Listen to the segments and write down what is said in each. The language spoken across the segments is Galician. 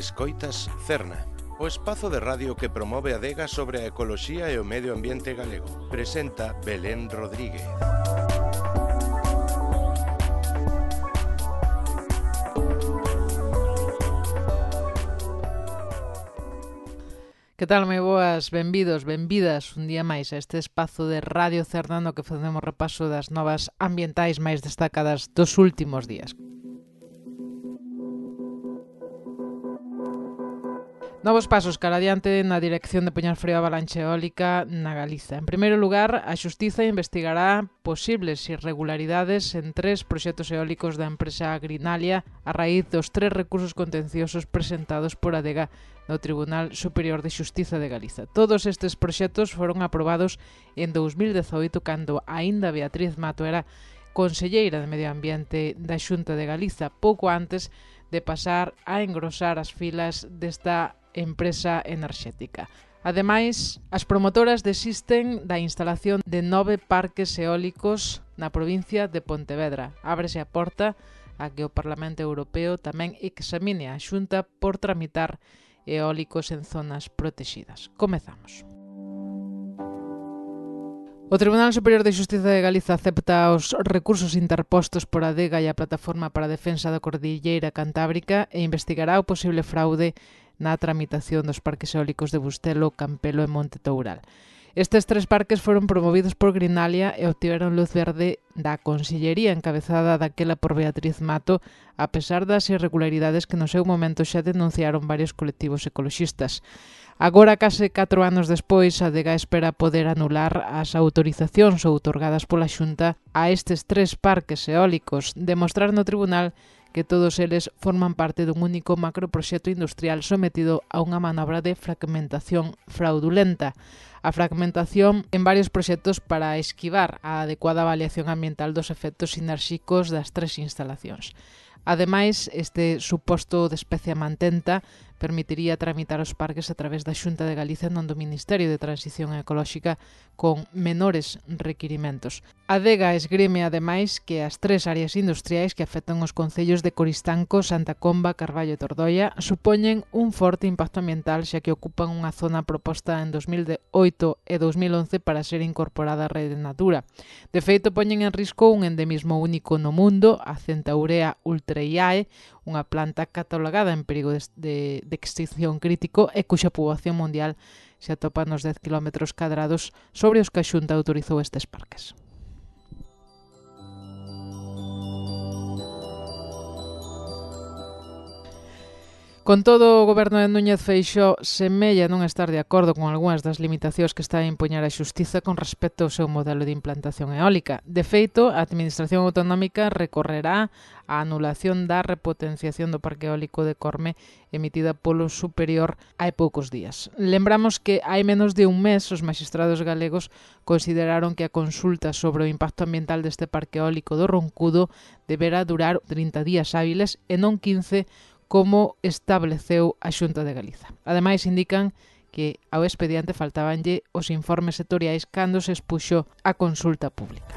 Escoitas Cerna, o espazo de radio que promove a adega sobre a ecoloxía e o medio ambiente galego. Presenta Belén Rodríguez. Que tal, moi boas? Benvidos, benvidas un día máis a este espazo de Radio Cerna no que facemos repaso das novas ambientais máis destacadas dos últimos días. Novos pasos cara adiante na dirección de poñer freo á avalancha eólica na Galiza. En primeiro lugar, a Xustiza investigará posibles irregularidades en 3 proxectos eólicos da empresa Greenalia a raíz dos 3 recursos contenciosos presentados por Adega no Tribunal Superior de Xustiza de Galiza. Todos estes proxectos foron aprobados en 2018 cando aínda Beatriz Mato era conselleira de Medio Ambiente da Xunta de Galiza, pouco antes de pasar a engrosar as filas desta empresa enerxética. Ademais, as promotoras desisten da instalación de 9 parques eólicos na provincia de Pontevedra. Ábrese a porta a que o Parlamento Europeo tamén examine a Xunta por tramitar eólicos en zonas protegidas. Comezamos. O Tribunal Superior de Xustiza de Galiza acepta os recursos interpostos por Adega e a Plataforma para a Defensa da Cordilleira Cantábrica e investigará o posible fraude na tramitación dos parques eólicos de Bustelo, Campelo e Monte Toural. Estes 3 parques foron promovidos por Greenalia e obtiveron luz verde da Consellería encabezada daquela por Beatriz Mato, a pesar das irregularidades que no seu momento xa denunciaron varios colectivos ecoloxistas. Agora, case 4 anos despois, a Adega espera poder anular as autorizacións outorgadas pola Xunta a estes 3 parques eólicos, demostrar no tribunal que todos eles forman parte dun único macroproxecto industrial sometido a unha manobra de fragmentación fraudulenta. A fragmentación en varios proxectos para esquivar a adecuada avaliación ambiental dos efectos sinérxicos das 3 instalacións. Ademais, este suposto de especia mantenta permitiría tramitar os parques a través da Xunta de Galicia non do Ministerio de Transición Ecolóxica con menores requirimentos. A Adega esgrime ademais que as 3 áreas industriais que afectan os concellos de Coristanco, Santa Comba, Carballo e Tordoia supoñen un forte impacto ambiental xa que ocupan unha zona proposta en 2008 e 2011 para ser incorporada á rede Natura. De feito, poñen en risco un endemismo único no mundo, a Centaurea ultraiae, unha planta catalogada en perigo de extinción crítico e cuxa poboación mundial se atopa nos 10 km cadrados sobre os que a Xunta autorizou estes parques. Con todo, o goberno de Núñez Feixóo semella non estar de acordo con algunhas das limitacións que está a impoñer a Xustiza con respecto ao seu modelo de implantación eólica. De feito, a Administración Autonómica recorrerá a anulación da repotenciación do Parque Eólico de Corme emitida polo Superior hai poucos días. Lembramos que hai menos de un mes os maxistrados galegos consideraron que a consulta sobre o impacto ambiental deste Parque Eólico do Roncudo debera durar 30 días hábiles e non 15 como estableceu a Xunta de Galiza. Ademais, indican que ao expediente faltábanlle os informes sectoriais cando se expuxo a consulta pública.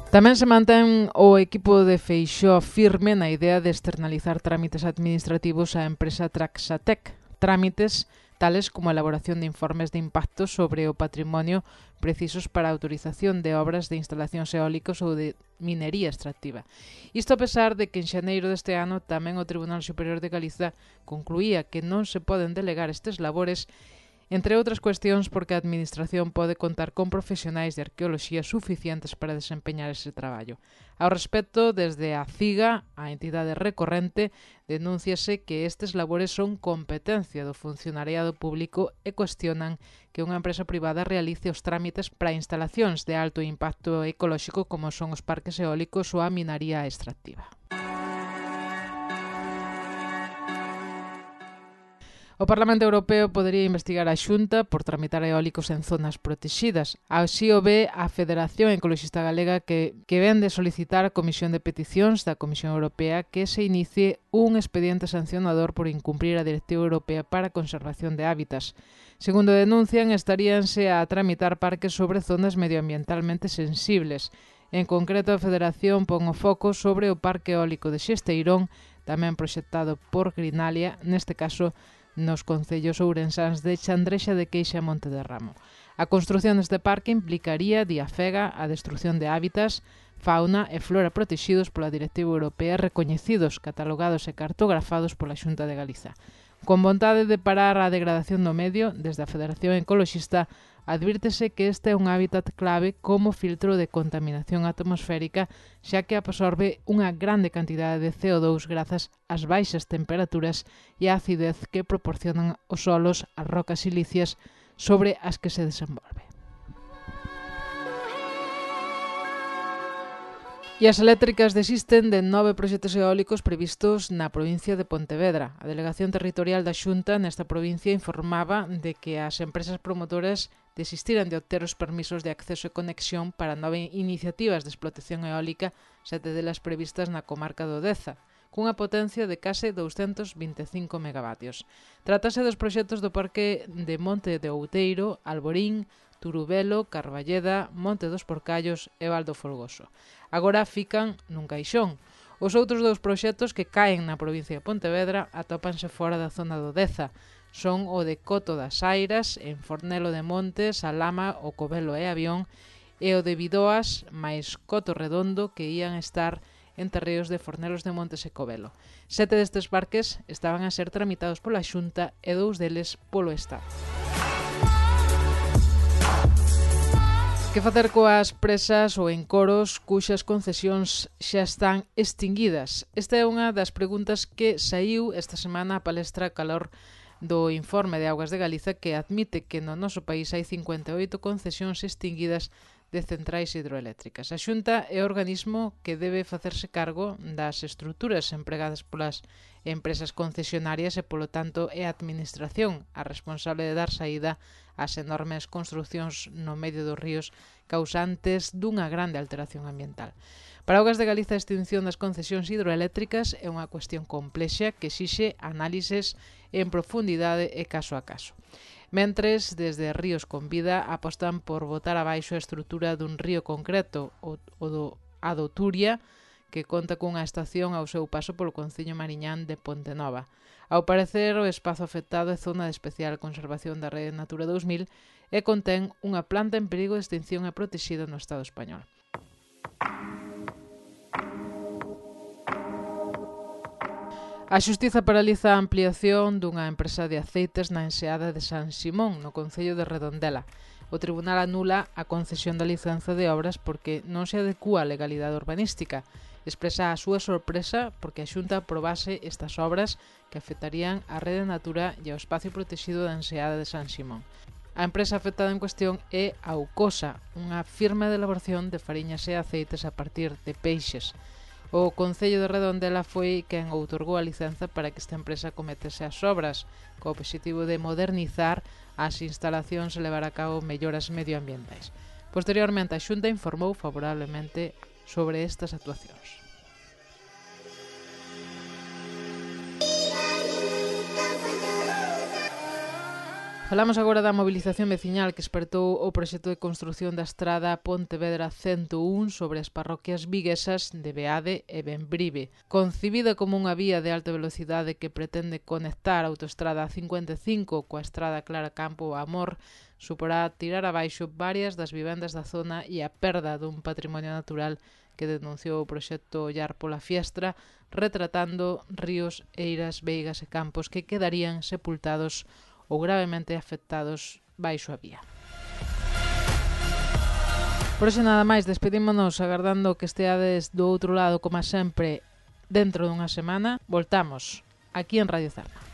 Tamén se mantén o equipo de Feixóo firme na idea de externalizar trámites administrativos á empresa Traxatec, trámites tales como a elaboración de informes de impacto sobre o patrimonio precisos para a autorización de obras de instalacións eólicas ou de minería extractiva. Isto a pesar de que en xaneiro deste ano tamén o Tribunal Superior de Galiza concluía que non se poden delegar estes labores, entre outras cuestións porque a Administración pode contar con profesionais de arqueoloxía suficientes para desempeñar ese traballo. Ao respecto, desde a CIGA, a entidade recorrente, denúnciase que estes labores son competencia do funcionariado público e cuestionan que unha empresa privada realice os trámites para instalacións de alto impacto ecolóxico como son os parques eólicos ou a minaría extractiva. O Parlamento Europeo podería investigar a Xunta por tramitar eólicos en zonas protegidas. Así o ve a Federación Ecoloxista Galega que ven de solicitar a Comisión de Peticións da Comisión Europea que se inicie un expediente sancionador por incumprir a Directiva Europea para a Conservación de Hábitats. Segundo denuncian, estaríanse a tramitar parques sobre zonas medioambientalmente sensibles En concreto, a Federación pon o foco sobre o Parque Eólico de Xesteirón, tamén proxectado por Grinalia, neste caso nos concellos ourensáns de Chandrexa de Queixa e Monte de Ramo. A construción deste parque implicaría, di Afega, a destrucción de hábitats, fauna e flora protexidos pola Directiva Europea, recoñecidos, catalogados e cartografados pola Xunta de Galiza. Con vontade de parar a degradación do medio, desde a Federación Ecoloxista advírtese que este é un hábitat clave como filtro de contaminación atmosférica, xa que absorbe unha grande cantidade de CO2 grazas ás baixas temperaturas e á acidez que proporcionan os solos, as rocas silíceas sobre as que se desenvolve. E as eléctricas desisten de 9 proxectos eólicos previstos na provincia de Pontevedra. A Delegación Territorial da Xunta nesta provincia informaba de que as empresas promotoras desistiran de obter os permisos de acceso e conexión para 9 iniciativas de explotación eólica, 7 delas previstas na comarca do Deza, cunha potencia de case 225 megavatios. Trátase dos proxectos do Parque de Monte de Outeiro, Alborín, Turubelo, Carballeda, Monte dos Porcallos e Val do Folgoso. Agora fican nun caixón. Os outros dous proxectos que caen na provincia de Pontevedra atópanse fora da zona do Deza. Son o de Coto das Airas, en Fornelo de Montes, Alama, o Covelo e Avión, e o de Bidoas, máis Coto Redondo, que ían estar en terreos de Fornelos de Montes e Covelo. 7 destes parques estaban a ser tramitados pola Xunta e 2 deles polo Estado. Que facer coas presas ou encoros cuxas concesións xa están extinguidas? Esta é unha das preguntas que saiu esta semana a palestra calor do informe de Augas de Galiza, que admite que no noso país hai 58 concesións extinguidas de centrais hidroeléctricas. A Xunta é o organismo que debe facerse cargo das estruturas empregadas polas empresas concesionarias e, polo tanto, é a Administración a responsable de dar saída ás enormes construcións no medio dos ríos causantes dunha grande alteración ambiental. Para Augas de Galiza, a extinción das concesións hidroeléctricas é unha cuestión complexa que exixe análises en profundidade e caso a caso. Mentres, desde Ríos con Vida apostan por botar abaixo a estrutura dun río concreto, a do Turia, que conta cunha estación ao seu paso polo concello mariñán de Pontenova. Ao parecer, o espazo afectado é zona de especial conservación da Rede Natura 2000 e contén unha planta en perigo de extinción e protexida no Estado español. A Xustiza paraliza a ampliación dunha empresa de aceites na enseada de San Simón, no concello de Redondela. O tribunal anula a concesión da licenza de obras porque non se adecúa a legalidade urbanística. Expresa a súa sorpresa porque a Xunta aprobase estas obras que afectarían a Rede Natura e ao espacio protegido da enseada de San Simón. A empresa afectada en cuestión é Aucosa, unha firma de elaboración de fariñas e aceites a partir de peixes. O Concello de Redondela foi quen outorgou a licenza para que esta empresa cometese as obras, co obxectivo de modernizar as instalacións e levar a cabo melloras medioambientais. Posteriormente, a Xunta informou favorablemente sobre estas actuacións. Falamos agora da mobilización veciñal que espertou o proxecto de construción da estrada Pontevedra 101 sobre as parroquias viguesas de Beade e Bembrive. Concibida como unha vía de alta velocidade que pretende conectar a autoestrada 55 coa estrada Clara Campo Amor, suporá tirar abaixo varias das vivendas da zona e a perda dun patrimonio natural que denunciou o proxecto Ollar pola Fiestra, retratando ríos, eiras, veigas e campos que quedarían sepultados ou gravemente afectados baixo a vía. Por hoxe nada máis, despedímonos agardando que esteades do outro lado, como sempre, dentro dunha semana. Voltamos aquí en Radio Zarma.